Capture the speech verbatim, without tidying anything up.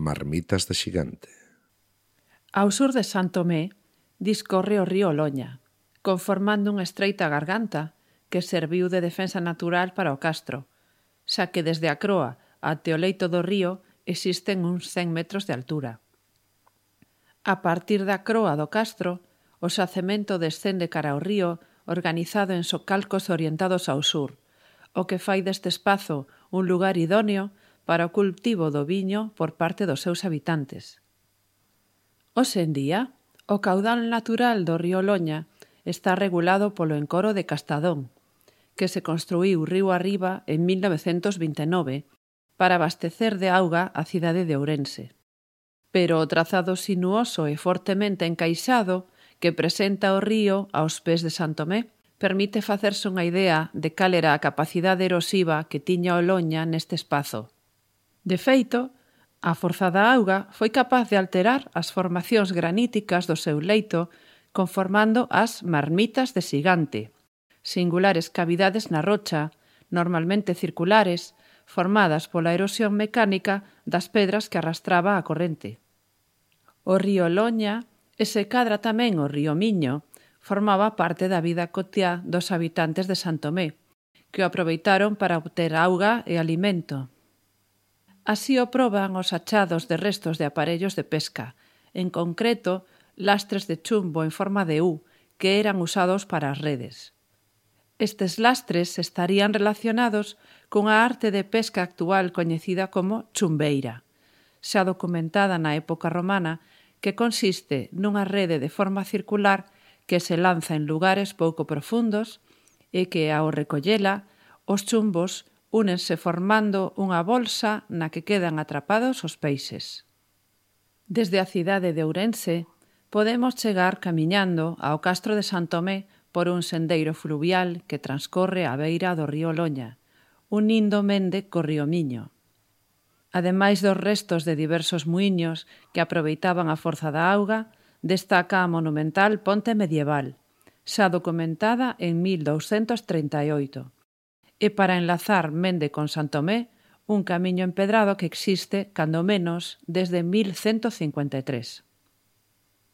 Marmitas de Xigante. Ao sur de San Tomé discorre o río Loña, conformando unha estreita garganta que serviu de defensa natural para o castro, xa que desde a croa até o leito do río existen uns cen metros de altura. A partir da croa do castro, o xacemento descende cara ao río organizado en socalcos orientados ao sur, o que fai deste espazo un lugar idóneo para o cultivo do viño por parte dos seus habitantes. Hoxe en día, o caudal natural do río Loña está regulado polo encoro de Castadón, que se construíu río arriba en mil novecentos vinte e nove para abastecer de auga a cidade de Ourense. Pero o trazado sinuoso e fortemente encaixado que presenta o río aos pés de San Tomé permite facerse unha idea de cal era a capacidade erosiva que tiña o Loña neste espazo. De feito, a forza da auga foi capaz de alterar as formacións graníticas do seu leito conformando as Marmitas de Xigante, singulares cavidades na rocha, normalmente circulares, formadas pola erosión mecánica das pedras que arrastraba a corrente. O río Loña, e se cadra tamén o río Miño, formaba parte da vida cotiá dos habitantes de San Tomé, que o aproveitaron para obter auga e alimento. Así o proban os achados de restos de aparellos de pesca, en concreto, lastres de chumbo en forma de U, que eran usados para as redes. Estes lastres estarían relacionados cunha arte de pesca actual coñecida como chumbeira, xa documentada na época romana, que consiste nunha rede de forma circular que se lanza en lugares pouco profundos e que, ao recollela, os chumbos únense formando unha bolsa na que quedan atrapados os peixes. Desde a cidade de Ourense podemos chegar camiñando ao castro de San Tomé por un sendeiro fluvial que transcorre á beira do río Loña, unindo Mende co río Miño. Ademais dos restos de diversos muíños que aproveitaban a forza da auga, destaca a monumental ponte medieval, xa documentada en mil douscentos trinta e oito, e para enlazar Mende con San Tomé, un camiño empedrado que existe, cando menos, desde mil cento cincuenta e tres.